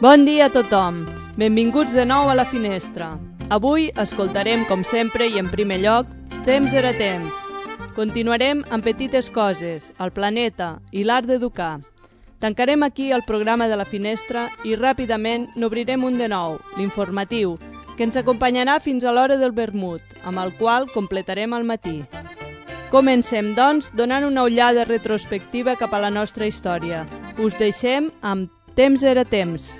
Bon dia a tothom. Benvinguts de nou a La Finestra. Avui escoltarem, com sempre i en primer lloc, Temps era temps. Continuarem amb petites coses, el planeta i l'art d'educar. Tancarem aquí el programa de La Finestra i ràpidament n'obrirem un de nou, l'informatiu, que ens acompanyarà fins a l'hora del vermut, amb el qual completarem el matí. Comencem, doncs, donant una ullada retrospectiva cap a la nostra història. Us deixem amb Temps era temps.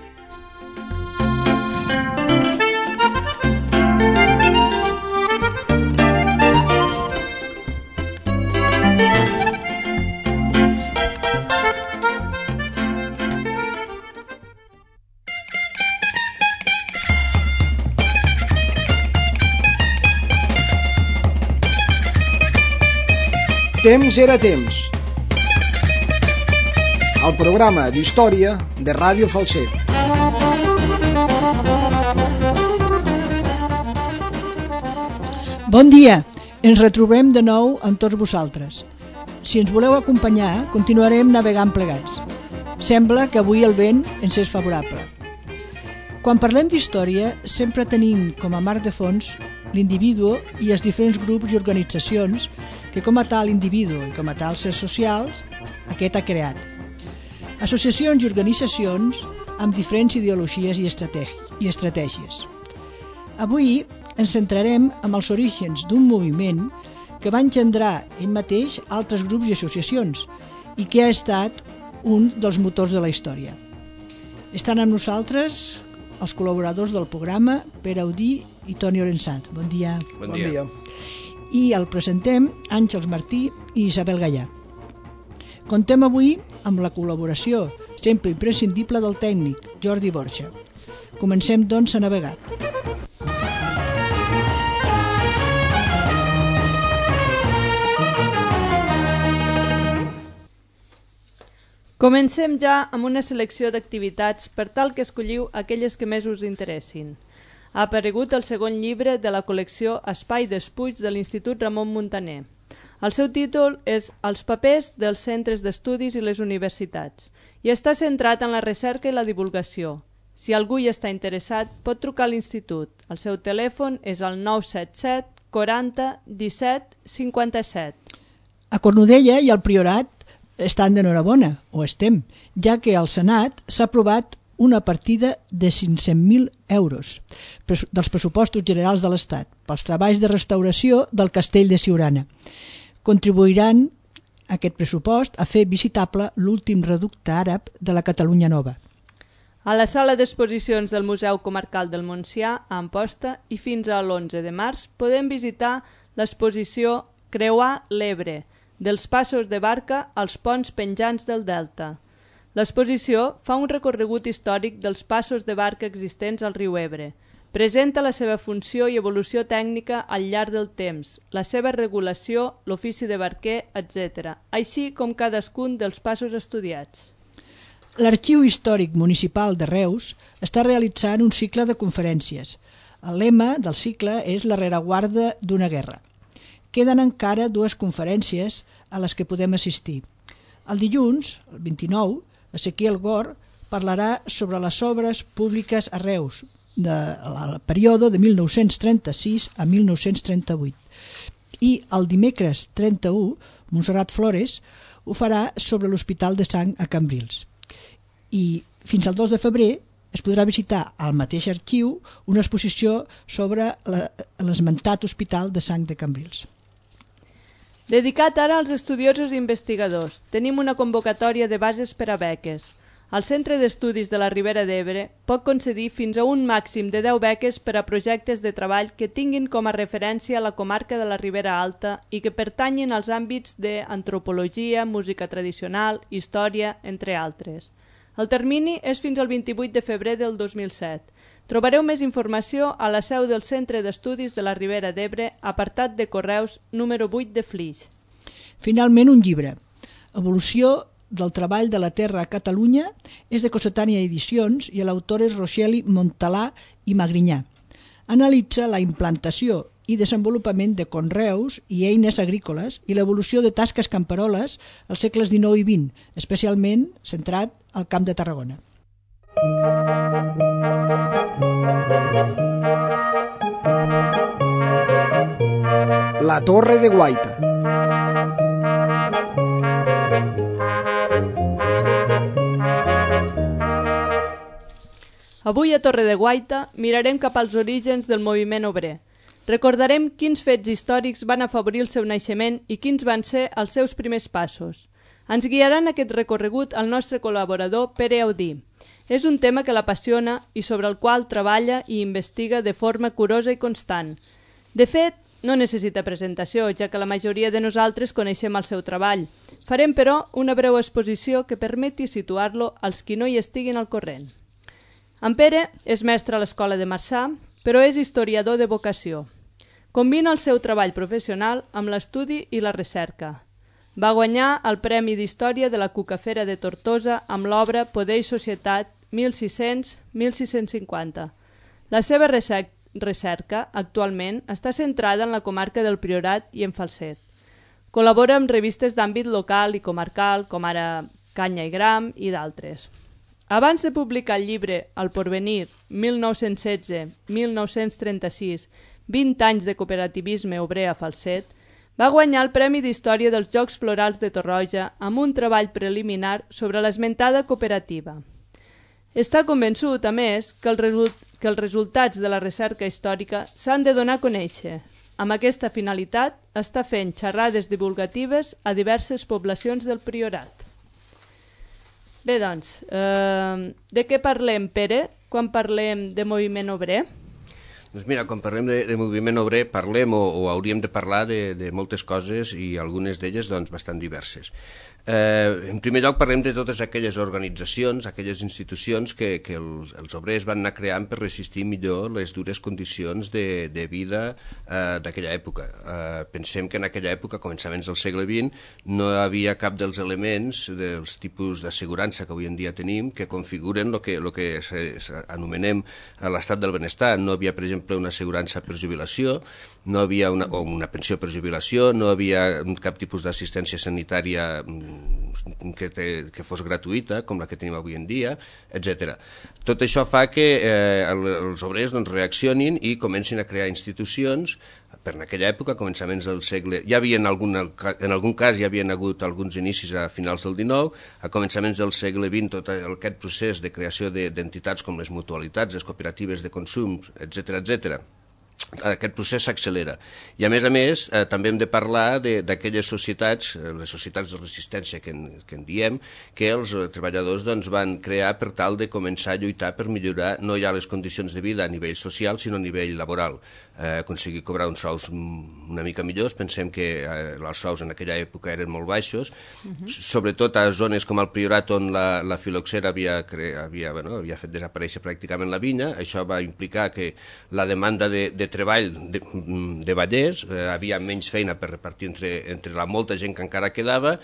Temps era temps. El programa d'història de Ràdio Falset. Bon dia! Ens retrobem de nou amb tots vosaltres. Si ens voleu acompanyar, continuarem navegant plegats. Sembla que avui el vent ens és favorable. Quan parlem d'història, sempre tenim com a marc de fons l'individu i els diferents grups i organitzacions que com a tal individu i com a tal sers socials aquest ha creat. Associacions i organitzacions amb diferents ideologies i estratègies. Avui ens centrarem en els orígens d'un moviment que va engendrar ell mateix altres grups i associacions i que ha estat un dels motors de la història. Estan amb nosaltres els col·laboradors del programa, Pere Audí i Toni Orensat. Bon dia. Bon dia. I el presentem Àngels Martí i Isabel Gallà. Contem avui amb la col·laboració sempre imprescindible del tècnic, Jordi Borja. Comencem, doncs, a navegar. Comencem ja amb una selecció d'activitats per tal que escolliu aquelles que més us interessin. Ha aparegut el segon llibre de la col·lecció Espai d'Espuig de l'Institut Ramon Muntaner. El seu títol és Els papers dels centres d'estudis i les universitats i està centrat en la recerca i la divulgació. Si algú hi està interessat, pot trucar a l'Institut. El seu telèfon és el 977 40 17 57. A Cornudella i al Priorat estan d'enhorabona, o estem, ja que al Senat s'ha aprovat una partida de 500.000 euros dels pressupostos generals de l'Estat pels treballs de restauració del castell de Siurana. Contribuiran aquest pressupost a fer visitable l'últim reducte àrab de la Catalunya Nova. A la sala d'exposicions del Museu Comarcal del Montsià, a Amposta, i fins a l'11 de març podem visitar l'exposició Creuar l'Ebre, dels passos de barca als ponts penjants del Delta. L'exposició fa un recorregut històric dels passos de barca existents al riu Ebre. Presenta la seva funció i evolució tècnica al llarg del temps, la seva regulació, l'ofici de barquer, etc., així com cadascun dels passos estudiats. L'Arxiu Històric Municipal de Reus està realitzant un cicle de conferències. El lema del cicle és la rereguarda d'una guerra. Queden encara 2 conferències a les que podem assistir. El dilluns, el 29, Ezequiel Gor parlarà sobre les obres públiques a Reus, del període de 1936 a 1938. I el dimecres 31, Montserrat Flores ho farà sobre l'Hospital de Sang a Cambrils. I fins al 2 de febrer es podrà visitar al mateix arxiu una exposició sobre l'esmentat Hospital de Sang de Cambrils. Dedicat ara als estudiosos i investigadors, tenim una convocatòria de bases per a beques. El Centre d'Estudis de la Ribera d'Ebre pot concedir fins a un màxim de 10 beques per a projectes de treball que tinguin com a referència la comarca de la Ribera Alta i que pertanyin als àmbits d'antropologia, música tradicional, història, entre altres. El termini és fins al 28 de febrer del 2007. Trobareu més informació a la seu del Centre d'Estudis de la Ribera d'Ebre, apartat de correus número 8 de Flix. Finalment, un llibre. Evolució del treball de la terra a Catalunya és de Cossetània Edicions i l'autor és Rocheli Montalà i Magrinyà. Analitza la implantació i desenvolupament de conreus i eines agrícoles i l'evolució de tasques camperoles als segles XIX i XX, especialment centrat al Camp de Tarragona. La Torre de Guaita. Avui a Torre de Guaita mirarem cap als orígens del moviment obrer. Recordarem quins fets històrics van afavorir el seu naixement i quins van ser els seus primers passos. Ens guiarà en aquest recorregut el nostre col·laborador Pere Audí. És un tema que l'apassiona i sobre el qual treballa i investiga de forma curosa i constant. De fet, no necessita presentació, ja que la majoria de nosaltres coneixem el seu treball. Farem, però, una breu exposició que permeti situar-lo als qui no hi estiguin al corrent. En Pere és mestre a l'Escola de Marçà, però és historiador de vocació. Combina el seu treball professional amb l'estudi i la recerca. Va guanyar el Premi d'Història de la Cucafera de Tortosa amb l'obra Poder i Societat 1600-1650. La seva recerca actualment està centrada en la comarca del Priorat i en Falset. Col·labora amb revistes d'àmbit local i comarcal, com ara Canya i Gram i d'altres. Abans de publicar el llibre El Porvenir, 1916-1936, 20 anys de cooperativisme obrer a Falset, va guanyar el Premi d'Història dels Jocs Florals de Torroja amb un treball preliminar sobre l'esmentada cooperativa. Està convençut, a més, que els resultats de la recerca històrica s'han de donar a conèixer. Amb aquesta finalitat, està fent xerrades divulgatives a diverses poblacions del Priorat. Bé, doncs, de què parlem, Pere, quan parlem de moviment obrer? Doncs mira, quan parlem de moviment obrer parlem o hauríem de parlar de moltes coses i algunes d'elles doncs, bastant diverses. En primer lloc parlem de totes aquelles organitzacions, aquelles institucions que els obrers van anar creant per resistir millor les dures condicions de vida d'aquella època. Pensem que en aquella època, començaments del segle XX, no hi havia cap dels elements dels tipus d'assegurança que avui en dia tenim que configuren el que anomenem l'estat del benestar. No havia, per exemple, una assegurança per jubilació, no havia una pensió per jubilació, no havia cap tipus d'assistència sanitària que fos gratuïta, com la que tenim avui en dia, etc. Tot això fa que els obrers reaccionin i comencin a crear institucions. Per en aquella època, començaments del segle... en algun cas hi havien hagut alguns inicis a finals del XIX, a començaments del segle XX tot aquest procés de creació d'entitats com les mutualitats, les cooperatives de consum, etc. Aquest procés s'accelera. I a més, també hem de parlar d'aquelles societats, les societats de resistència que en diem, que els treballadors van crear per tal de començar a lluitar per millorar no ja les condicions de vida a nivell social, sinó a nivell laboral. Aconseguir cobrar uns sous una mica millors. Pensem que els sous en aquella època eren molt baixos, sobretot a zones com el Priorat, on la filoxera havia fet desaparèixer pràcticament la vinya. Això va implicar que la demanda de treball de vallers, havia menys feina per repartir entre la molta gent que encara quedava,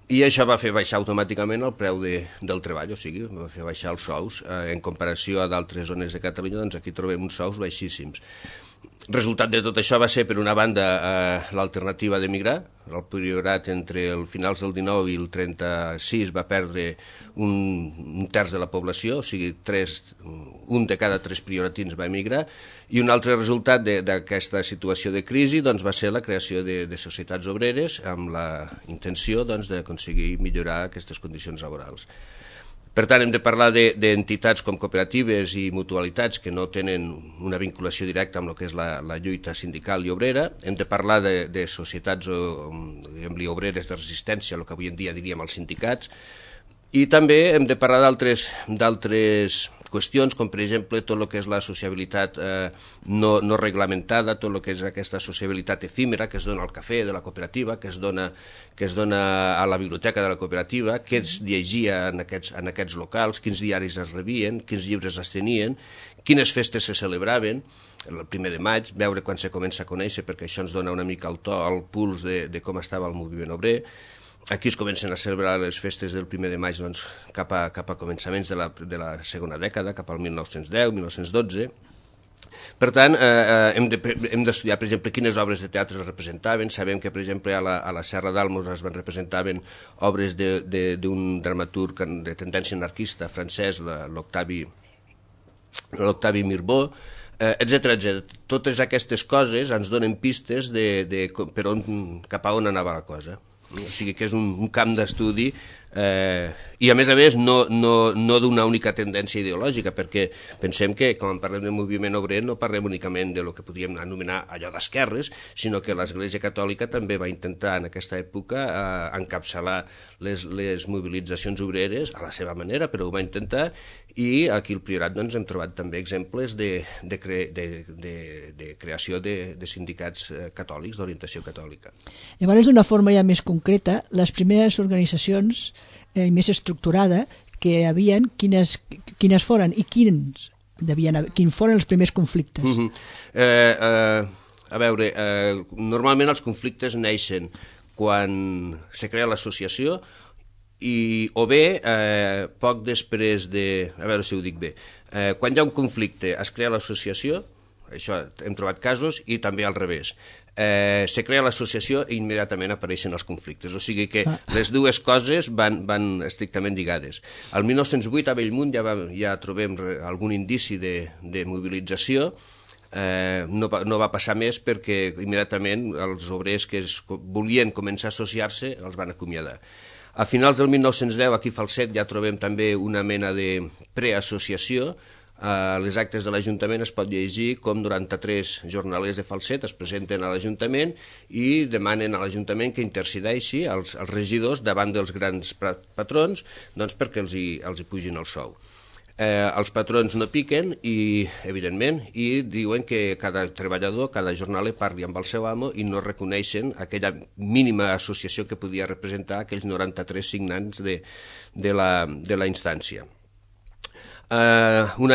i això va fer baixar automàticament el preu del treball, o sigui, va fer baixar els sous. En comparació a d'altres zones de Catalunya, doncs aquí trobem uns sous baixíssims. Resultat de tot això va ser, per una banda, l'alternativa d'emigrar. El Priorat, entre els finals del XIX i el 36, va perdre un terç de la població, o sigui, un de cada 3 prioratins va emigrar, i un altre resultat d'aquesta situació de crisi va ser la creació de societats obreres amb la intenció d'aconseguir millorar aquestes condicions laborals. Per tant, hem de parlar d'entitats com cooperatives i mutualitats que no tenen una vinculació directa amb el que és la lluita sindical i obrera. Hem de parlar de societats obreres de resistència, el que avui en dia diríem els sindicats. I també hem de parlar d'altres qüestions, com per exemple tot el que és la sociabilitat no reglamentada, tot el que és aquesta sociabilitat efímera que es dona al cafè de la cooperativa, que es dona a la biblioteca de la cooperativa, què es llegia en aquests locals, quins diaris es rebien, quins llibres es tenien, quines festes se celebraven. El 1 de maig, veure quan se comença a conèixer, perquè això ens dona una mica el to, el puls de com estava el moviment obrer. Aquí es comencen a celebrar les festes del 1 de maig cap a començaments de la segona dècada, cap al 1910, 1912. Per tant, hem d'estudiar, per exemple, quines obres de teatre es representaven. Sabem que, per exemple, a la Serra d'Almos es representaven obres d'un dramaturg de tendència anarquista francès, l'Octavi Mirbeau, etc. Totes aquestes coses ens donen pistes cap a on anava la cosa. O sigui que és un camp d'estudi i a més no d'una única tendència ideològica, perquè pensem que quan parlem de moviment obrer no parlem únicament de lo que podríem anomenar allò d'esquerres, sinó que l'Església Catòlica també va intentar en aquesta època encapçalar les mobilitzacions obreres a la seva manera, però ho va intentar, i aquí al Priorat doncs, hem trobat també exemples de creació de sindicats catòlics, d'orientació catòlica. Llavors, d'una forma ja més concreta, les primeres organitzacions més estructurada que hi havia, quines foren i quins foren els primers conflictes? A veure, normalment els conflictes neixen quan se crea l'associació o bé poc després a veure si ho dic bé, quan hi ha un conflicte es crea l'associació, això hem trobat casos, i també al revés. Se crea l'associació i immediatament apareixen els conflictes, o sigui que les dues coses van estrictament lligades. Al 1908 a Bellmunt ja trobem algun indici de mobilització. No va passar més perquè immediatament els obrers que volien començar a associar-se els van acomiadar. A finals del 1910 aquí a Falset ja trobem també una mena de preassociació. A les actes de l'Ajuntament es pot llegir com 93 jornalers de Falset es presenten a l'Ajuntament i demanen a l'Ajuntament que intercedeixi els regidors davant dels grans patrons perquè els hi pugin el sou. Els patrons no piquen, evidentment, i diuen que cada treballador, cada jornaler parli amb el seu amo i no reconeixen aquella mínima associació que podia representar aquells 93 signants de la instància. Uns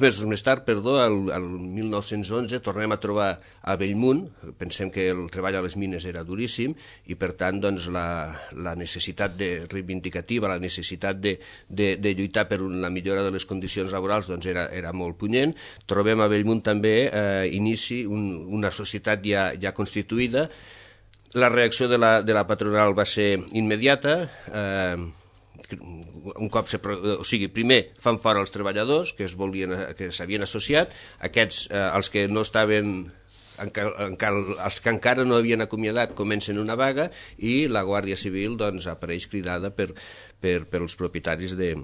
mesos més tard, el 1911, tornem a trobar a Bellmunt. Pensem que el treball a les mines era duríssim i, per tant, doncs, la necessitat reivindicativa, la necessitat de lluitar per la millora de les condicions laborals doncs, era molt punyent. Trobem a Bellmunt també inici una societat ja constituïda. La reacció de la patronal va ser immediata. Primer fan fora els treballadors que s'havien associat, aquests, els que no estaven, els que encara no havien acomiadat, comencen una vaga i la Guàrdia Civil apareix cridada pels propietaris de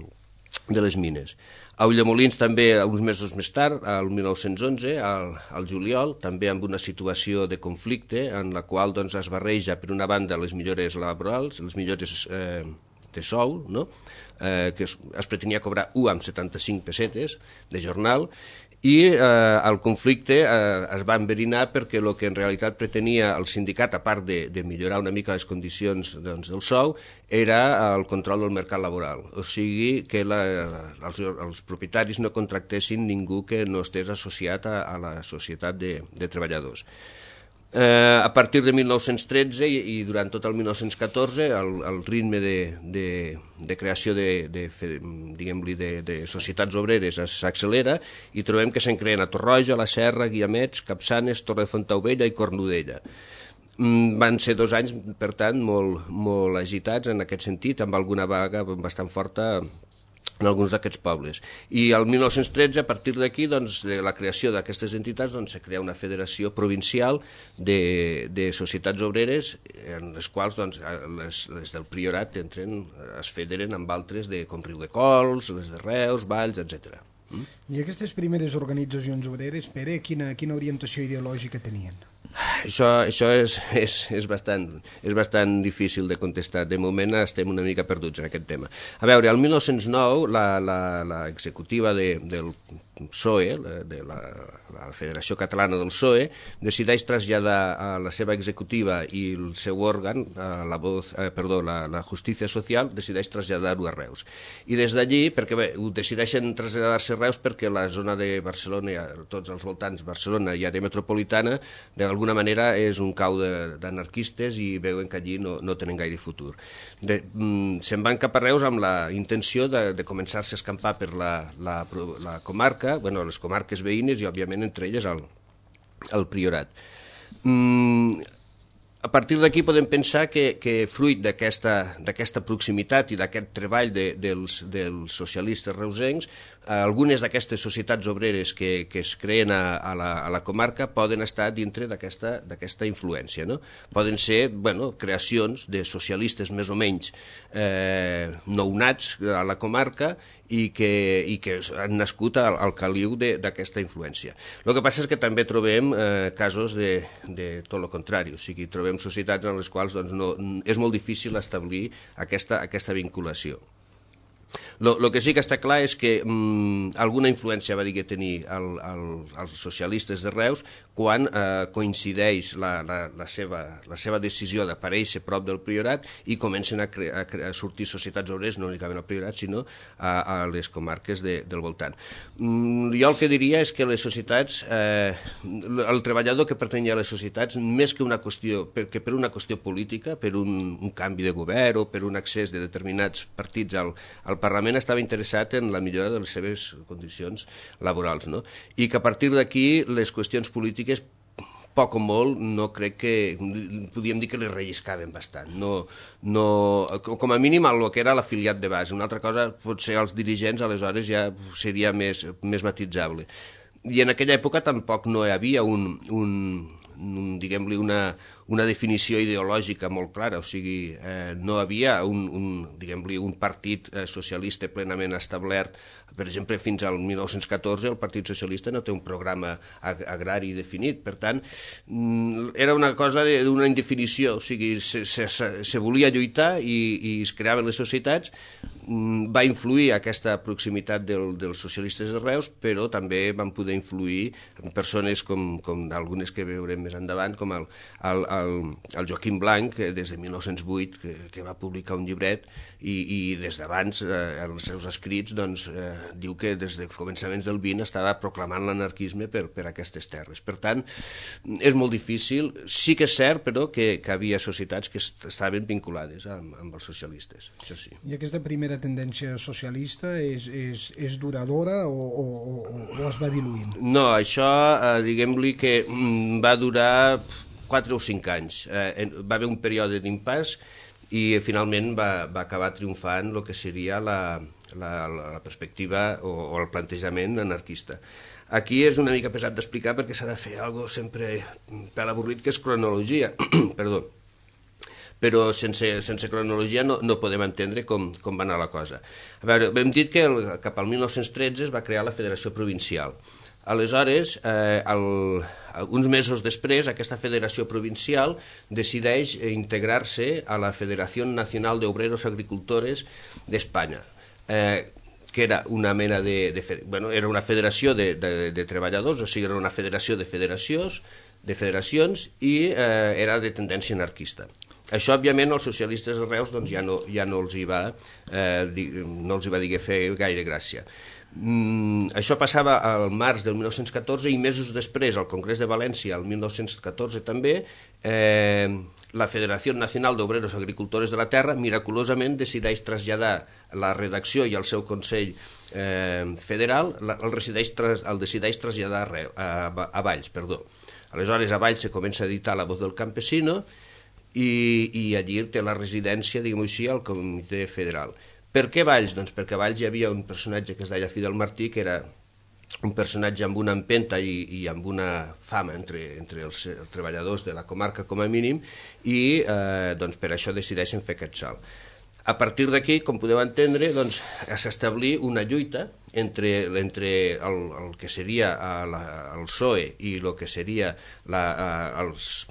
les mines. A Ulldemolins també, uns mesos més tard, el 1911, al juliol, també amb una situació de conflicte en la qual es barreja, per una banda, les millores laborals, les millores de sou, no? Que es pretenia cobrar 1,75 pessetes de jornal, i el conflicte es va enverinar perquè el que en realitat pretenia el sindicat, a part de millorar una mica les condicions del sou, era el control del mercat laboral, o sigui que els propietaris no contractessin ningú que no estés associat a la societat de treballadors. A partir de 1913 i durant tot el 1914 el ritme de creació de societats obreres s'accelera i trobem que se'n creen a Torroja, La Serra, Guiamets, Capçanes, Torre de Fontaubella i Cornudella. Van ser 2 anys, per tant, molt agitats en aquest sentit, amb alguna vaga bastant forta en alguns d'aquests pobles. I el 1913, a partir d'aquí, de la creació d'aquestes entitats, se crea una federació provincial de societats obreres, en les quals les del Priorat es federen amb altres com Riudecols, les de Reus, Valls, etc. I aquestes primeres organitzacions obreres, Pere, quina orientació ideològica tenien? Això és bastant difícil de contestar. De moment estem una mica perduts en aquest tema. A veure, el 1909 l'executiva del PSOE, de la Federació Catalana del PSOE, decideix traslladar a la seva executiva i el seu òrgan, la Justícia Social, decideix traslladar-ho a Reus. I des d'allí, perquè ho decideixen traslladar-se a Reus perquè la zona de Barcelona, tots els voltants, Barcelona i àrea metropolitana, d'alguna manera primera és un cau d'anarquistes i veuen que allí no tenen gaire futur. Se'n van cap a Reus amb la intenció de començar-se a escampar per la comarca, les comarques veïnes i, òbviament, entre elles el Priorat. A partir d'aquí podem pensar que fruit d'aquesta proximitat i d'aquest treball dels socialistes reusencs, algunes d'aquestes societats obreres que es creen a la comarca poden estar dintre d'aquesta influència, no? Poden ser creacions de socialistes més o menys nounats a la comarca i que han nascut al caliu d'aquesta influència. El que passa és que també trobem casos de tot el contrari, o sigui, trobem societats en les quals és molt difícil establir aquesta vinculació. El que sí que està clar és que alguna influència va dir que tenir els socialistes de Reus quan coincideix la seva decisió d'aparèixer prop del Priorat i comencen a sortir societats obreres, no únicament al Priorat, sinó a les comarques del voltant. Jo el que diria és que les societats, el treballador que pertanyia a les societats, més que per una qüestió política, per un canvi de govern o per un accés de determinats partits al Parlament, estava interessat en la millora de les seves condicions laborals, no? I que a partir d'aquí les qüestions polítiques, poc o molt, no crec que podíem dir que les relliscaven bastant. Com a mínim el que era l'afiliat de base. Una altra cosa, potser els dirigents aleshores ja seria més matitzable. I en aquella època tampoc no hi havia diguem-li, una definició ideològica molt clara, o sigui, no havia diguem-li, un partit socialista plenament establert. Per exemple, fins al 1914 el Partit Socialista no té un programa agrari definit, per tant, era una cosa d'una indefinició, o sigui, se volia lluitar i es creaven les societats. Va influir aquesta proximitat dels socialistes de Reus, però també van poder influir persones com algunes que veurem més endavant, com el Joaquim Blanc, des de 1908, que va publicar un llibret i des d'abans, en els seus escrits, diu que des de començaments del XX estava proclamant l'anarquisme per aquestes terres. Per tant, és molt difícil. Sí que és cert, però, que havia societats que estaven vinculades amb els socialistes, això sí. I aquesta primera tendència socialista és duradora o es va diluint? No, això, diguem-li que va durar 4 o 5 anys. Va haver un període d'impàs i finalment va acabar triomfant el que seria la perspectiva o el plantejament anarquista. Aquí és una mica pesat d'explicar perquè s'ha de fer alguna cosa sempre per avorrit, que és cronologia. Perdó. Però sense cronologia no podem entendre com va anar la cosa. A veure, hem dit que cap al 1913 es va crear la Federació Provincial. Aleshores, uns mesos després, aquesta federació provincial decideix integrar-se a la Federació Nacional de Obreros Agricultores d'Espanya, que era una mena era una federació de treballadors, o sigui, era una federació de federacions i era de tendència anarquista. Això, òbviament, als socialistes de Reus ja no els hi va fer gaire gràcia. Això passava al març del 1914 i mesos després, al Congrés de València, el 1914 també, la Federació Nacional d'Obreros Agricultores de la Terra miraculosament decideix traslladar la redacció i el seu Consell Federal, el decideix traslladar a Valls. Aleshores, a Valls se comença a editar La Voz del Campesino i allí té la residència, diguem-ho així, al Comitè Federal. Per què Valls? Doncs perquè a Valls hi havia un personatge que es deia Fidel Martí, que era un personatge amb una empenta i amb una fama entre els treballadors de la comarca com a mínim, i per això decideixen fer aquest salt. A partir d'aquí, com podeu entendre, s'establí una lluita entre el que seria el PSOE i el que seria els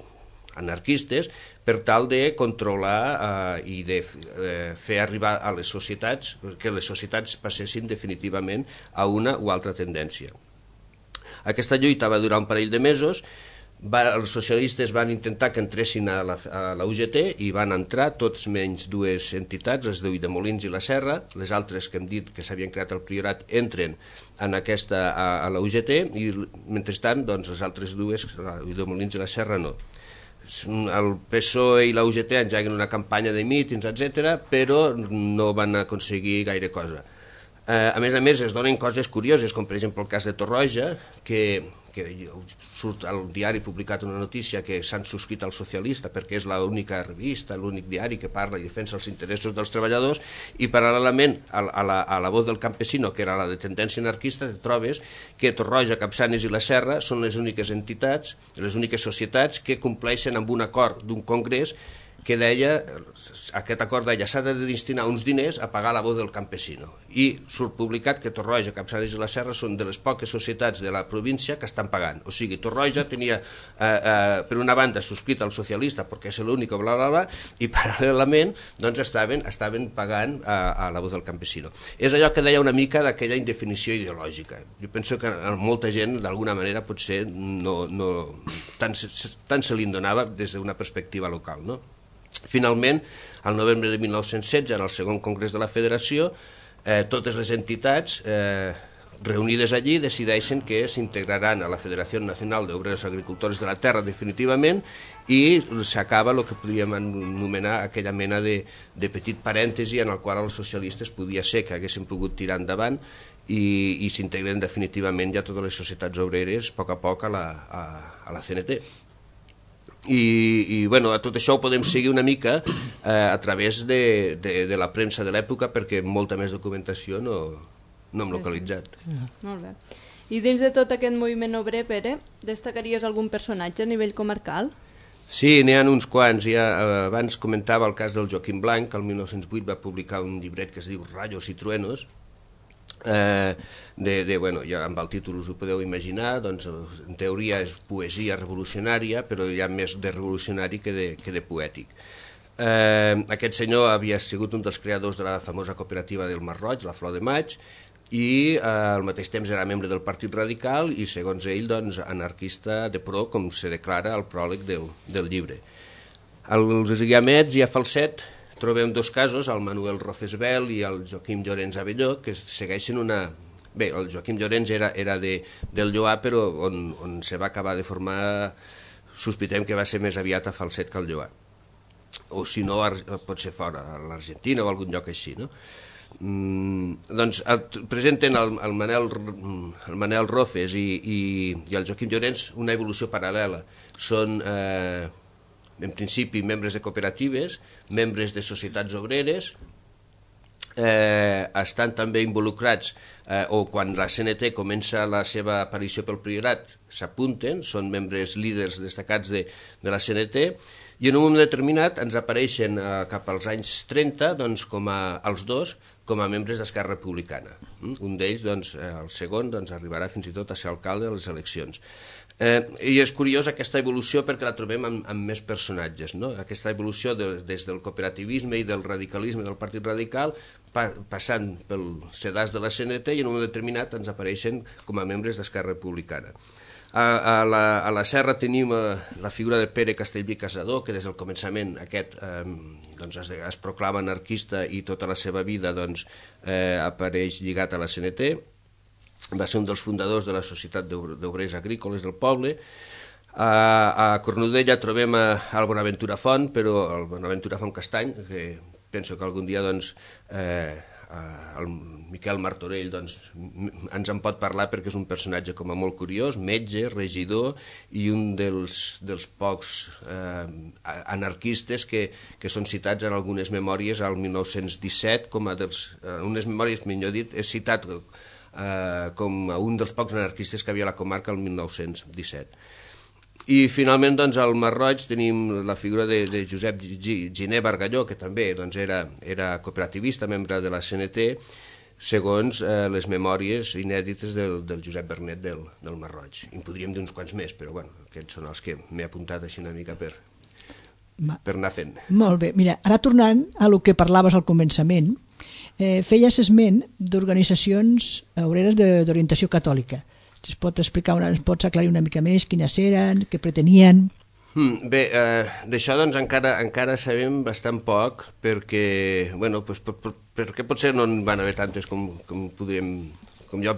anarquistes, per tal de controlar i de fer arribar a les societats, que les societats passessin definitivament a una o altra tendència. Aquesta lluita va durar un parell de mesos, els socialistes van intentar que entressin a la UGT i van entrar tots menys 2 entitats, les d'Ulldemolins i la Serra. Les altres que hem dit que s'havien creat al Priorat entren a la UGT i mentrestant les altres 2, Ulldemolins i la Serra, no. el PSOE i la UGT engeguen una campanya de mítings, etc., però no van aconseguir gaire cosa. A més, es donen coses curioses, com per exemple el cas de Torroja, que surt al diari publicat una notícia que s'han subscrit al Socialista perquè és l'única revista, l'únic diari que parla i defensa els interessos dels treballadors, i paral·lelament a la Voz del Campesino, que era la de tendència anarquista, trobes que Torroja, Capçanes i la Serra són les úniques entitats, les úniques societats que compleixen amb un acord d'un congrés que deia, aquest acord deia, s'ha de destinar uns diners a pagar la Voz del Campesino. I surt publicat que Torroja, Capçanes i la Serra són de les poques societats de la província que estan pagant. O sigui, Torroja tenia, per una banda, subscrit al Socialista, perquè és l'únic, bla, bla, bla, i paral·lelament doncs, estaven pagant a la Voz del Campesino. És allò que deia una mica d'aquella indefinició ideològica. Jo penso que a molta gent, d'alguna manera, potser tant se li en donava des d'una perspectiva local, no? Finalment, al novembre de 1916, en el segon congrés de la Federació, totes les entitats reunides allí decideixen que s'integraran a la Federació Nacional d'Obreros Agricultors de la Terra definitivament i s'acaba el que podríem anomenar aquella mena de petit parèntesi en el qual els socialistes podia ser que haguessin pogut tirar endavant i s'integren definitivament ja totes les societats obreres a poc a la CNT. I bueno, a tot això ho podem seguir una mica a través de la premsa de l'època, perquè molta més documentació no hem localitzat. Molt bé. I dins de tot aquest moviment obrer, Pere, destacaries algun personatge a nivell comarcal? Sí, n'hi ha uns quants. Abans comentava el cas del Joaquim Blanc, que el 1908 va publicar un llibret que es diu Rayos y Truenos, bueno, ja amb el títol us ho podeu imaginar, doncs en teoria és poesia revolucionària, però hi ha més de revolucionari que de poètic. Aquest senyor havia sigut un dels creadors de la famosa cooperativa del Mar Roig, la Flor de Maig, i al mateix temps era membre del Partit Radical i, segons ell, doncs, anarquista de pro, com se declara al pròleg del llibre. Als guiamets i a Falset trobem dos casos, el Manuel Rofesbel i el Joaquim Llorenç Abelló, que segueixen una... Bé, el Joaquim Llorenç era del Lloar, però on se va acabar de formar, sospitem que va ser més aviat a Falset que al Lloar. O si no, pot ser fora, a l'Argentina o algun lloc així, no? Doncs presenten el Manel Rofes i el Joaquim Llorenç una evolució paral·lela. Són... en principi membres de cooperatives, membres de societats obreres, estan també involucrats, o quan la CNT comença la seva aparició pel Priorat, s'apunten, són membres líders destacats de la CNT, i en un moment determinat ens apareixen cap als anys 30, doncs, els dos, com a membres d'Esquerra Republicana. Un d'ells, doncs, el segon, doncs, arribarà fins i tot a ser alcalde a les eleccions. I és curiós aquesta evolució perquè la trobem amb més personatges, no? Aquesta evolució des del cooperativisme i del radicalisme del Partit Radical, passant pel sedàs de la CNT, i en un moment determinat ens apareixen com a membres d'Esquerra Republicana. A la Serra tenim la figura de Pere Castellví Casador, que des del començament es proclama anarquista i tota la seva vida apareix lligat a la CNT. Va ser un dels fundadors de la Societat d'Obrers Agrícoles del poble. A Cornudella trobem el Bonaventura Font, però el Bonaventura Font Castany, que penso que algun dia el Miquel Martorell ens en pot parlar, perquè és un personatge com a molt curiós, metge, regidor i un dels pocs anarquistes que són citats en algunes memòries al 1917, unes memòries, millor dit, és citat com un dels pocs anarquistes que havia a la comarca el 1917. I finalment al Mar Roig tenim la figura de Josep Giner Bargalló, que també era cooperativista, membre de la CNT, segons les memòries inèdites del Josep Bernet del Mar Roig. I en podríem dir uns quants més, però bueno, aquests són els que m'he apuntat així una mica per anar fent. Molt bé. Mira, ara tornant a lo que parlaves al començament, feies esment d'organitzacions obreres d'orientació catòlica. Si es pot explicar, ens pots aclarir una mica més quines eren, què pretenien? Bé, d'això encara sabem bastant poc, perquè, bueno, perquè potser no en van haver tantes com jo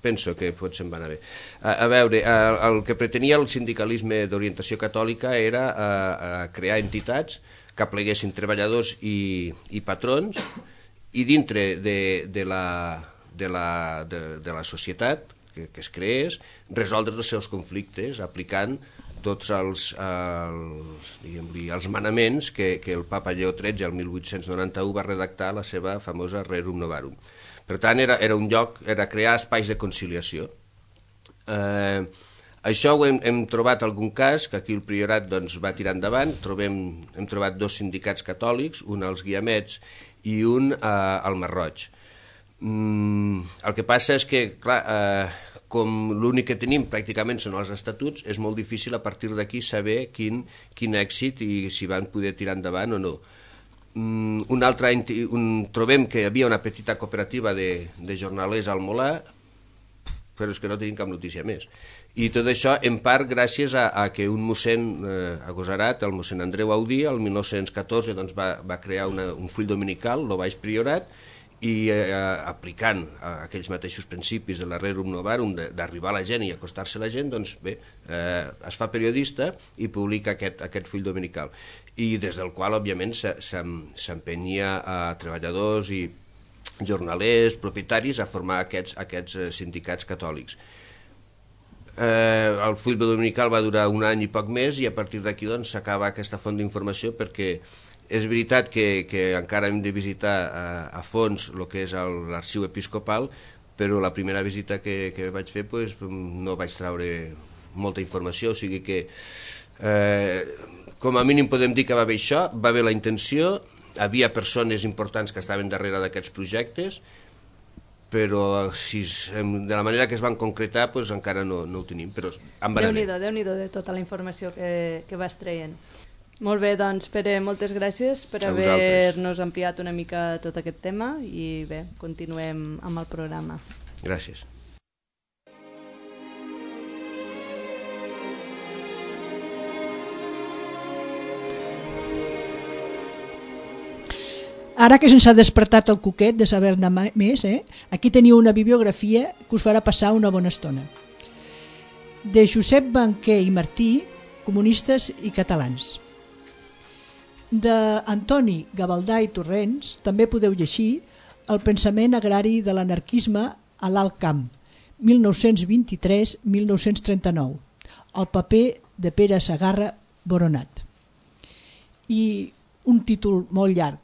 penso que potser em va anar bé. A veure, el que pretenia el sindicalisme d'orientació catòlica era crear entitats que apleguessin treballadors i patrons, i dintre de la societat que es creés, resoldre els seus conflictes aplicant tots els manaments que el papa Lleó XIII el 1891 va redactar a la seva famosa Rerum Novarum. Per tant, era un lloc, era crear espais de conciliació. Això ho hem trobat algun cas, que aquí el priorat va tirar endavant. Hem trobat 2 sindicats catòlics, un als Guiamets i un al Masroig. El que passa és que, clar, com l'únic que tenim pràcticament són els estatuts, és molt difícil a partir d'aquí saber quin èxit i si van poder tirar endavant o no. Trobem que hi havia una petita cooperativa de jornalers al Molar, però és que no tenim cap notícia més. I tot això, en part, gràcies a que un mossèn agosarat, el mossèn Andreu Audí, el 1914 va crear un full dominical, el Baix Priorat, i aplicant aquells mateixos principis de la Rerum Novarum, d'arribar a la gent i acostar-se a la gent, doncs bé, es fa periodista i publica aquest full dominical, i des del qual, òbviament, s'empenia a treballadors i jornalers, propietaris, a formar aquests sindicats catòlics. El full dominical va durar un any i poc més, i a partir d'aquí s'acaba aquesta font d'informació, perquè és veritat que encara hem de visitar a fons el que és l'arxiu episcopal, però la primera visita que vaig fer no vaig treure molta informació, o sigui que com a mínim podem dir que va bé això, va bé la intenció, havia persones importants que estaven darrere d'aquests projectes, però de la manera que es van concretar encara no ho tenim, però em va anar bé. Déu-n'hi-do de tota la informació que vas traient. Molt bé, doncs Pere, moltes gràcies per haver-nos ampliat una mica tot aquest tema, i bé, continuem amb el programa. Gràcies. Ara que se'ns ha despertat el coquet de saber-ne més, aquí teniu una bibliografia que us farà passar una bona estona. De Josep Banquer i Martí, comunistes i catalans. D'Antoni Gavaldà i Torrents també podeu llegir El pensament agrari de l'anarquisme a l'Alt Camp, 1923-1939, el paper de Pere Segarra Boronat. I un títol molt llarg,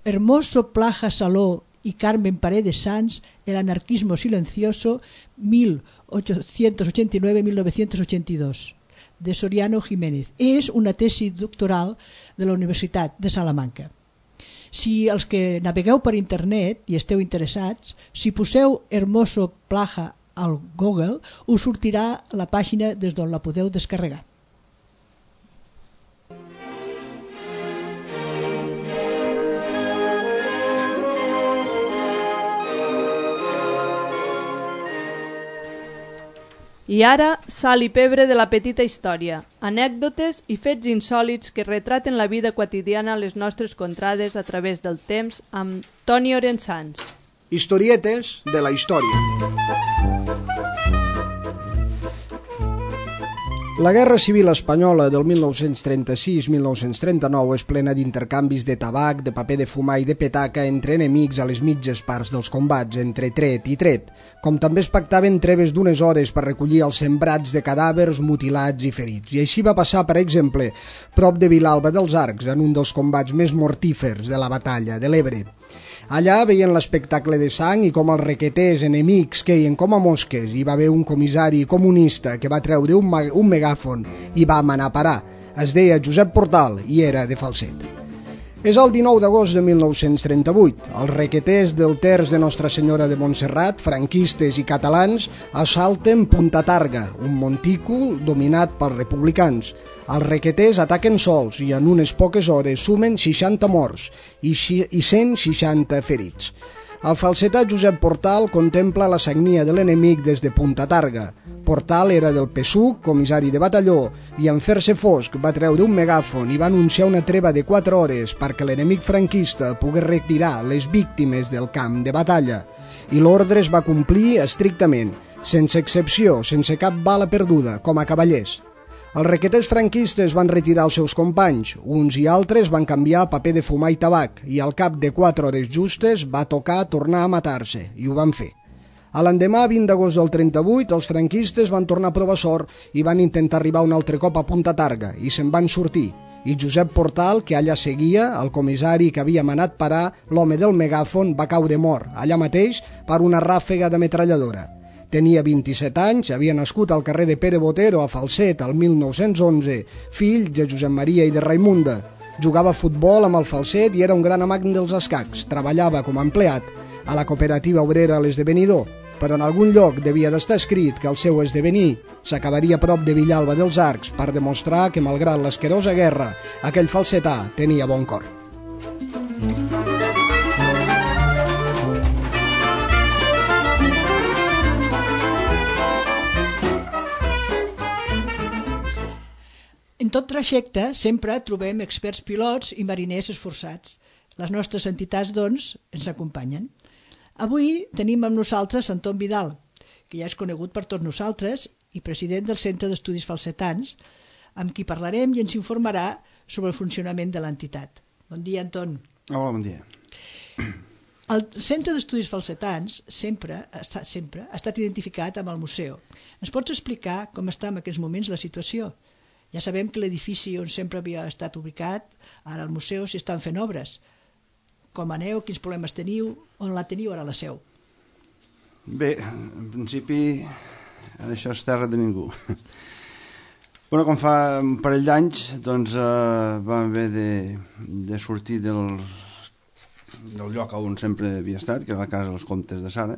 Hermoso Plaja Saló y Carmen Paredes Sanz, El anarquismo silencioso, 1889-1982, de Soriano Jiménez. És una tesi doctoral de la Universitat de Salamanca. Si els que navegueu per internet i esteu interessats, si poseu Hermoso Plaja al Google, us sortirà la pàgina des d'on la podeu descarregar. I ara, sal i pebre de la petita història, anècdotes i fets insòlits que retraten la vida quotidiana a les nostres contrades a través del temps amb Toni Orensans. Historietes de la història. La Guerra Civil Espanyola del 1936-1939 és plena d'intercanvis de tabac, de paper de fumar i de petaca entre enemics a les mitges parts dels combats, entre tret i tret, com també es pactaven treves d'unes hores per recollir els sembrats de cadàvers mutilats i ferits. I així va passar, per exemple, prop de Vilalba dels Arcs, en un dels combats més mortífers de la batalla de l'Ebre. Allà veien l'espectacle de sang i com els requeters enemics queien com a mosques. Hi va haver un comissari comunista que va treure un megàfon i va manar a parar. Es deia Josep Portal i era de Falset. És el 19 d'agost de 1938. Els requeters del terç de Nostra Senyora de Montserrat, franquistes i catalans, assalten Punta Targa, un montícul dominat pels republicans. Els requeters ataquen sols i en unes poques hores sumen 60 morts i 160 ferits. El falsetà Josep Portal contempla la sagnia de l'enemic des de Punta Targa. Portal era del PSUC, comissari de batalló, i en fer-se fosc va treure un megàfon i va anunciar una treva de 4 hores perquè l'enemic franquista pogués retirar les víctimes del camp de batalla. i l'ordre es va complir estrictament, sense excepció, sense cap bala perduda, com a cavallers. Els requeters franquistes van retirar els seus companys, uns i altres van canviar a paper de fumar i tabac, i al cap de 4 hores justes va tocar tornar a matar-se, i ho van fer. A l'endemà, 20 d'agost del 38, els franquistes van tornar a provar sort i van intentar arribar un altre cop a Punta Targa, i se'n van sortir. I Josep Portal, que allà seguia, el comissari que havia manat parar, l'home del megàfon, va caure mort, allà mateix, per una ràfega de metralladora. Tenia 27 anys, havia nascut al carrer de Pere Botero, a Falset, el 1911, fill de Josep Maria i de Raimunda. Jugava a futbol amb el Falset i era un gran amant dels escacs. Treballava com a empleat a la cooperativa obrera a l'Esdevenidor, però en algun lloc devia d'estar escrit que el seu esdevenir s'acabaria a prop de Villalba dels Arcs per demostrar que, malgrat l'asquerosa guerra, aquell falsetà tenia bon cor. En tot trajecte sempre trobem experts pilots i mariners esforçats. Les nostres entitats, doncs, ens acompanyen. Avui tenim amb nosaltres Anton Vidal, que ja és conegut per tots nosaltres i president del Centre d'Estudis Falsetans, amb qui parlarem i ens informarà sobre el funcionament de l'entitat. Bon dia, Anton. Hola, bon dia. El Centre d'Estudis Falsetans sempre ha estat identificat amb el museu. Ens pots explicar com està en aquests moments la situació? Ja sabem que l'edifici on sempre havia estat ubicat, ara al museu s'hi estan fent obres. Com aneu, quins problemes teniu, on la teniu ara la seu? Bé, en principi això és terra de ningú. Bueno, com fa un parell d'anys doncs vam haver de sortir del lloc on sempre havia estat, que era la casa dels comtes de Sara,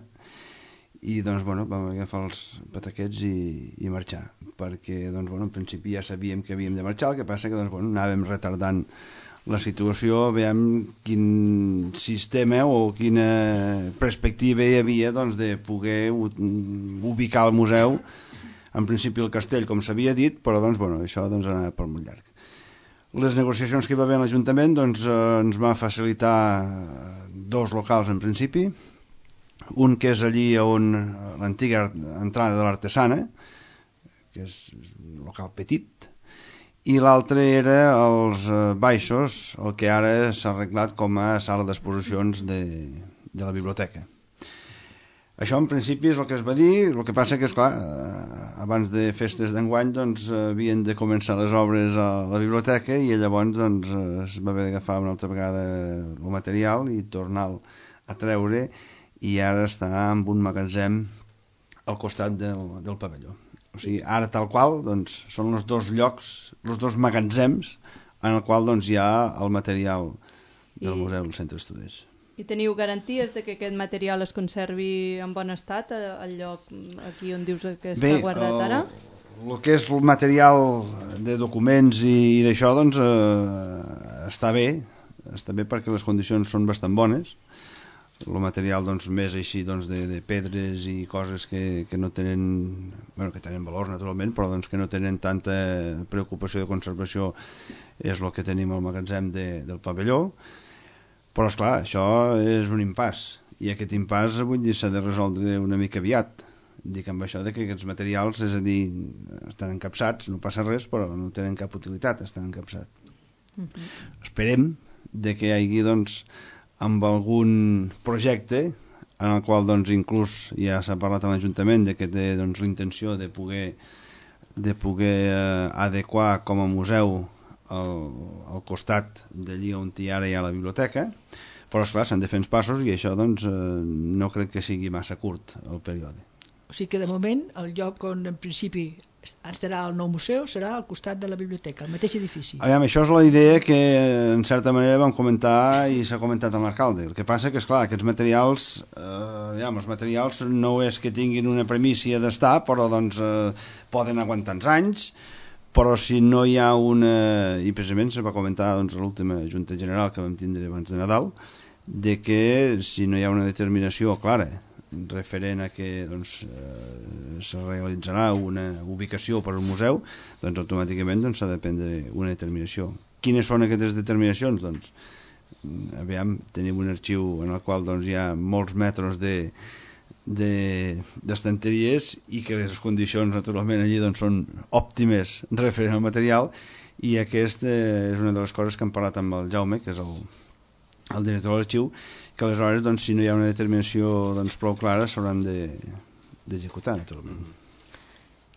i doncs bueno, vam agafar els pataquets i marxar, perquè doncs, bueno, en principi ja sabíem que havíem de marxar, el que passa que doncs, bueno, anàvem retardant la situació, veiem quin sistema o quina perspectiva hi havia doncs, de poder ubicar el museu, en principi el castell, com s'havia dit, però doncs, bueno, això doncs, anava per molt llarg. Les negociacions que hi va haver en l'Ajuntament doncs, ens va facilitar 2 locals en principi, un que és allí on l'antiga entrada de l'Artesana, que és un local petit, i l'altre era els baixos, el que ara s'ha arreglat com a sala d'exposicions de la biblioteca. Això en principi és el que es va dir, el que passa que, esclar, abans de festes d'enguany doncs, havien de començar les obres a la biblioteca i llavors doncs, es va haver d'agafar una altra vegada el material i tornar-lo a treure, i ara està en un magatzem al costat del pavelló. O sigui, ara tal qual doncs, són els 2 llocs, els 2 magatzems en el qual doncs, hi ha el material del museu del Centre d'Estudis. I teniu garanties de que aquest material es conservi en bon estat al lloc aquí on dius que està guardat ara? El que és el material de documents i d'això doncs, està bé perquè les condicions són bastant bones. El material doncs, més així doncs, de pedres i coses que no tenen, bueno, que tenen valor naturalment, però doncs, que no tenen tanta preocupació de conservació és el que tenim al magatzem del pavelló. Però esclar, això és un impàs, i aquest impàs vull dir s'ha de resoldre una mica aviat. Dic amb això de que aquests materials, és a dir, estan encapsats, no passa res, però no tenen cap utilitat, estan encapsats. Esperem de que hi hagi doncs, amb algun projecte en el qual doncs, inclús ja s'ha parlat a l'Ajuntament de que té doncs, l'intenció de poder adequar com a museu al costat d'allí on ara hi ha la biblioteca, però esclar, s'han de fer uns passos i això doncs, no crec que sigui massa curt el període. O sigui que de moment el lloc on en principi estarà el nou museu serà al costat de la biblioteca, el mateix edifici. Aviam, això és la idea que en certa manera vam comentar i s'ha comentat amb l'alcalde. El que passa que, esclar, aquests materials, els materials no és que tinguin una premissa d'estar, però doncs, poden aguantar uns anys, però si no hi ha una... I precisament se va comentar doncs, a l'última Junta General que vam tindre abans de Nadal, de que si no hi ha una determinació clara referent a que doncs, se realitzarà una ubicació per al museu, doncs automàticament s'ha de prendre una determinació. Quines són aquestes determinacions? Doncs tenim un arxiu en el qual doncs, hi ha molts metres d'estanteries i que les condicions naturalment allí doncs, són òptimes referent al material, i aquesta és una de les coses que hem parlat amb el Jaume, que és el director de l'arxiu, que aleshores doncs, si no hi ha una determinació doncs, prou clara s'hauran d'executar naturalment.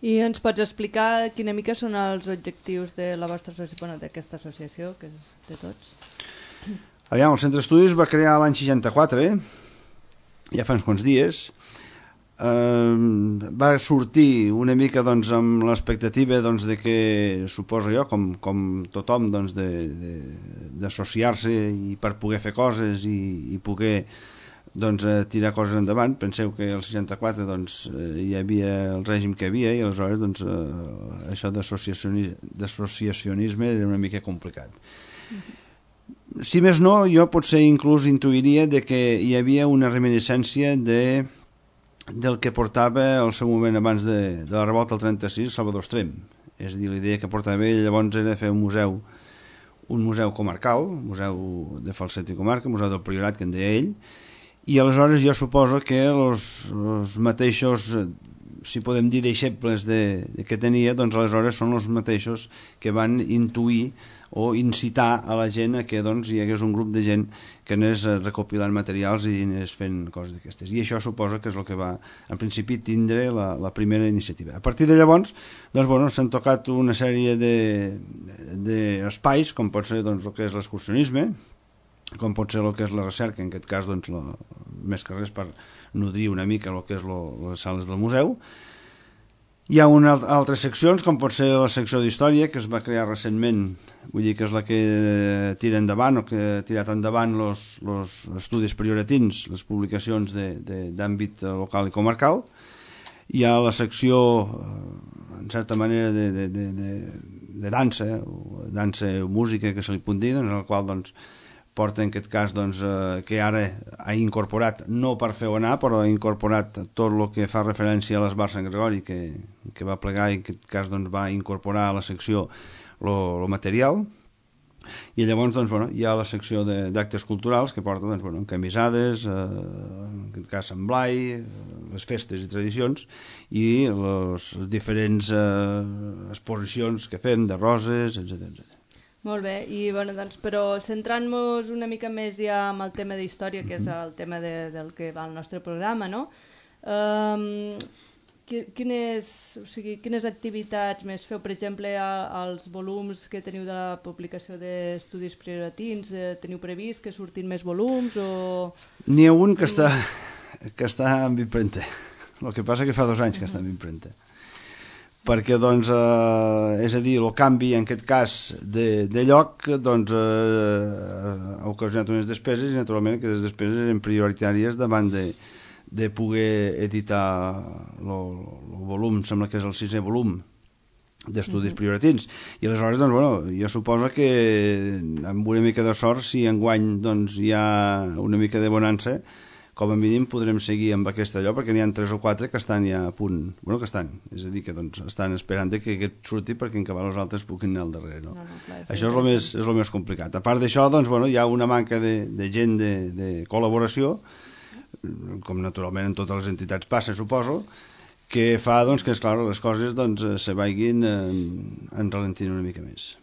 I ens pots explicar quina mica són els objectius de la vostra associació, d'aquesta associació, que és de tots? Aviam, el Centre d'Estudis va crear l'any 64, ja fa uns quants dies. Va sortir una mica doncs, amb l'expectativa doncs, de que, suposo jo, com tothom, doncs, d'associar-se i per poder fer coses i poder doncs, tirar coses endavant. Penseu que el 64 doncs, hi havia el règim que hi havia i aleshores doncs, això d'associacionisme era una mica complicat. Si més no, jo potser inclús intuiria de que hi havia una reminiscència del que portava al seu moment abans de la revolta del 36 Salvador Estrem. És a dir, l'idea que portava ell llavors era fer un museu comarcal, un museu de Falset i Comarca, un museu del Priorat, que en deia ell, i aleshores jo suposo que els mateixos, si podem dir, deixebles que tenia, doncs aleshores són els mateixos que van intuir o incitar a la gent a que doncs, hi hagués un grup de gent que anés recopilant materials i anés fent coses d'aquestes. I això suposa que és el que va, en principi, tindre la primera iniciativa. A partir de llavors, doncs, bueno, s'han tocat una sèrie d'espais, com pot ser doncs, el que és l'excursionisme, com pot ser el que és la recerca, en aquest cas doncs, més que res per nodrir una mica el que és les sales del museu. Hi ha altres seccions, com pot ser la secció d'història, que es va crear recentment, vull dir que és la que tira endavant o que ha tirat endavant els estudis prioratins, les publicacions d'àmbit local i comarcal. Hi ha la secció, en certa manera, de dansa, o música, que se li pot dir, en el qual doncs, porta en aquest cas doncs, que ara ha incorporat, no per fer-ho anar, però ha incorporat tot el que fa referència a l'Esbar Sant Gregori, que va plegar i en aquest cas doncs, va incorporar a la secció el material. I llavors doncs, bueno, hi ha la secció d'actes culturals que porta doncs, bueno, camisades, en aquest cas Sant Blai, les festes i tradicions i les diferents exposicions que fem de roses, etc. Molt bé, i bueno, doncs, però centrant-nos una mica més ja en el tema d'història, que és el tema del que va al nostre programa, no? Quines activitats més feu, per exemple, als volums que teniu de la publicació d'estudis prioratins? Teniu previst que surtin més volums? N'hi ha un que està en impremta. El que passa que fa 2 anys que està en impremta. Perquè, doncs, és a dir, el canvi, en aquest cas, de lloc, doncs, ha ocasionat unes despeses i, naturalment, aquestes despeses eren prioritàries davant de poder editar el volum, sembla que és el 6è volum d'estudis prioratins. I aleshores, doncs, bueno, jo suposo que amb una mica de sort, si enguany doncs, hi ha una mica de bonança, com a mínim podrem seguir amb aquest allò, perquè n'hi ha 3 o 4 que estan ja a punt, bueno, que estan, és a dir, que doncs, estan esperant que aquest surti perquè en acabar els altres puguin anar al darrere, no? Clar, això és el més complicat. A part d'això, doncs, bueno, hi ha una manca de gent de col·laboració, com naturalment en totes les entitats passa, suposo, que fa doncs, que, esclar, les coses doncs, se vagin enralentint una mica més.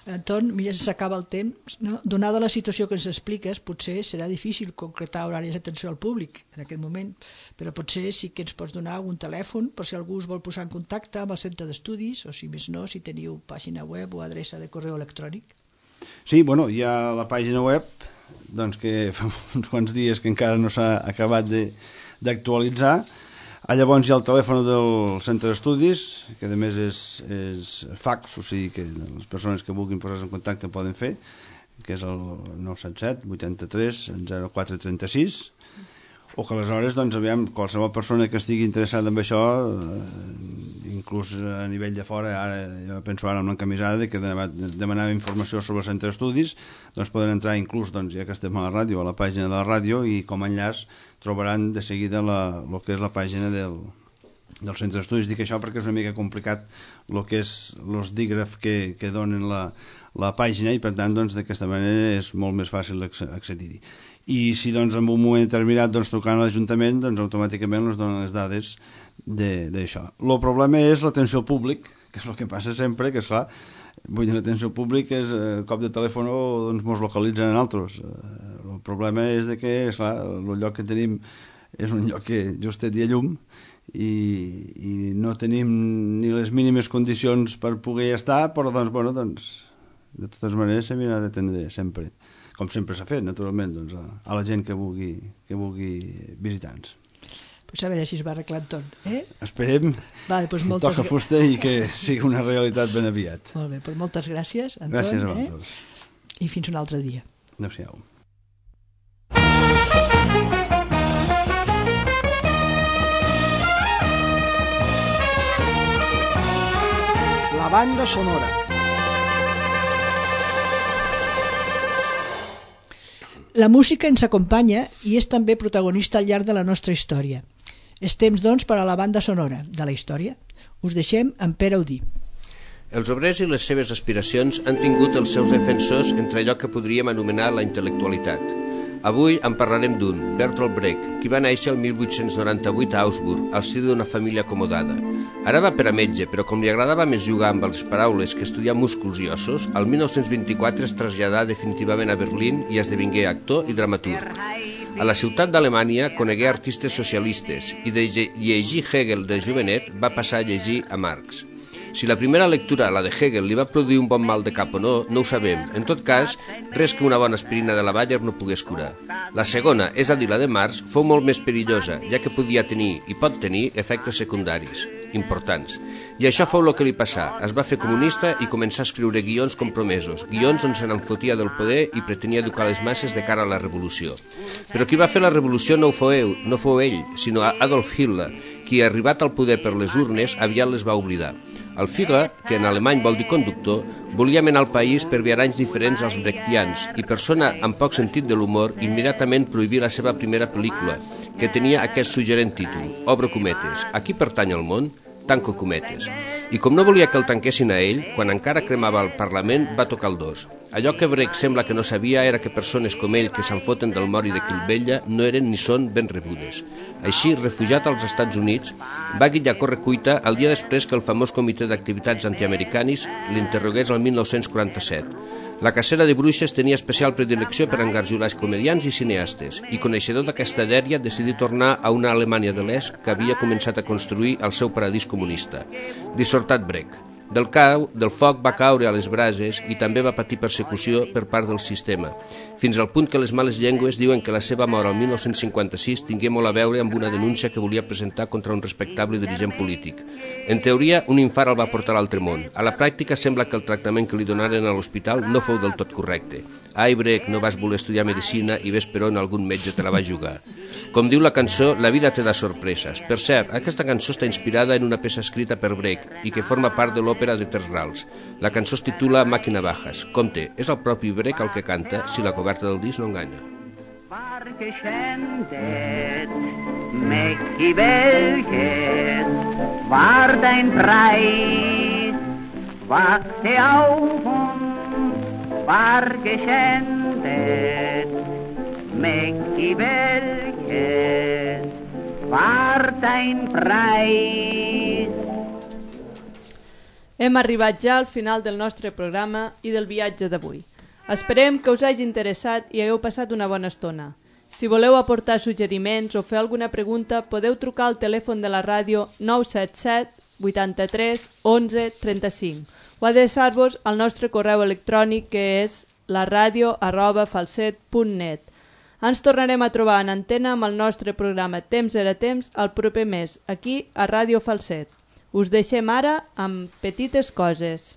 Anton, mira, s'acaba el temps, no? Donada la situació que ens expliques, potser serà difícil concretar horaris d'atenció al públic en aquest moment, però potser sí que ens pots donar un telèfon per si algú es vol posar en contacte amb el centre d'estudis, o si més no, si teniu pàgina web o adreça de correu electrònic. Sí, bueno, hi ha la pàgina web, doncs que fa uns quants dies que encara no s'ha acabat d'actualitzar. Llavors hi ha el telèfon del centre d'estudis, que a més és fax, o sigui que les persones que vulguin posar-se en contacte poden fer, que és el 977 83 0436, o que aleshores, doncs, aviam, qualsevol persona que estigui interessada en això, inclús a nivell de fora, ara jo penso ara amb l'encamisada que demanava informació sobre el centre d'estudis, doncs poden entrar inclús, doncs, ja que estem a la ràdio, a la pàgina de la ràdio, i com a enllaç trobaran de seguida el que és la pàgina del centre d'estudis. Dic això perquè és una mica complicat el que és els dígrafs que donen la pàgina i per tant doncs, d'aquesta manera és molt més fàcil accedir-hi. I si doncs, en un moment determinat trucant a l'Ajuntament, doncs automàticament ens donen les dades d'això. El problema és l'atenció al públic, que és el que passa sempre, que és clar, vull dir, l'atenció al públic és el cop de telèfon doncs mos localitzen en altres. El problema és que, esclar, el lloc que tenim és un lloc que just té dia llum i no tenim ni les mínimes condicions per poder estar, però doncs, de totes maneres s'ha d'atendre sempre, com sempre s'ha fet, naturalment, doncs, a la gent que vulgui visitar-nos. Pues a veure si es va arreglant tot. Esperem, vale, pues toca fusta i que sigui una realitat ben aviat. Molt bé, pues moltes gràcies, Anton. Gràcies a vosaltres. I fins un altre dia. Adéu-siau. La banda sonora. La música ens acompanya i és també protagonista al llarg de la nostra història. És temps, doncs, per a la banda sonora de la història. Us deixem amb Pere Audí. Els obrers i les seves aspiracions han tingut els seus defensors entre allò que podríem anomenar la intel·lectualitat. Avui en parlarem d'un, Bertolt Brecht, qui va néixer el 1898 a Augsburg, al si d'una família acomodada. Ara va per a metge, però com li agradava més jugar amb les paraules que estudiar músculs i ossos, el 1924 es traslladà definitivament a Berlín i esdevingué actor i dramaturg. A la ciutat d'Alemanya conegué artistes socialistes i de llegir Hegel de jovenet va passar a llegir a Marx. Si la primera lectura, la de Hegel, li va produir un bon mal de cap o no, no ho sabem. En tot cas, res que una bona aspirina de la Bayer no pogués curar. La segona, és a dir, la de Marx, fou molt més perillosa, ja que podia tenir i pot tenir efectes secundaris importants. I això fou el que li passà. Es va fer comunista i començà a escriure guions compromesos, guions on se n'enfotia del poder i pretenia educar les masses de cara a la revolució. Però qui va fer la revolució no fou ell, sinó Adolf Hitler, qui, arribat al poder per les urnes, aviat les va oblidar. El Führer, que en alemany vol dir conductor, volia menar el país per viaranys diferents als brechtians i, persona amb poc sentit de l'humor, immediatament prohibí la seva primera pel·lícula, que tenia aquest suggerent títol, Obro cometes. A qui pertany el món? Tanco cometes. I com no volia que el tanquessin a ell, quan encara cremava el Parlament, va tocar el dos. Allò que Brecht sembla que no sabia era que persones com ell que se'n foten del mori de qui el vetlla no eren ni són ben rebudes. Així, refugiat als Estats Units, va guitllar correcuita el dia després que el famós Comitè d'Activitats Antiamericanis l'interrogués el 1947. La cacera de bruixes tenia especial predilecció per engarjolar comedians i cineastes, i coneixedor d'aquesta dèria decidí tornar a una Alemanya de l'Est que havia començat a construir el seu paradís comunista. Dissortat Brecht. Del foc va caure a les brases i també va patir persecució per part del sistema, fins al punt que les males llengües diuen que la seva mort el 1956 tingué molt a veure amb una denúncia que volia presentar contra un respectable dirigent polític. En teoria, un infart el va portar a l'altre món. A la pràctica sembla que el tractament que li donaren a l'hospital no fou del tot correcte. Ai, Brecht, no vas voler estudiar medicina i ves per on algun metge te la va jugar. Com diu la cançó, la vida te da sorpreses. Per cert, aquesta cançó està inspirada en una peça escrita per Brecht i que forma part de l'òpera de Tres Rals. La cançó es titula Màquina Bajas. Compte, és el propi Brecht el que canta, si la coberta del disc no enganya. Mächtig welches war dein Preis, wachte auf und war geschändet. Mächtig welches war dein Preis. Hem arribat ja al final del nostre programa i del viatge d'avui. Esperem que us hagi interessat i hagueu passat una bona estona. Si voleu aportar suggeriments o fer alguna pregunta, podeu trucar al telèfon de la ràdio 977 83 11 35 o adreçar-vos al nostre correu electrònic que és laradio@falset.net. Ens tornarem a trobar en antena amb el nostre programa Temps era temps el proper mes, aquí a Ràdio Falset. Us deixem ara amb Petites coses.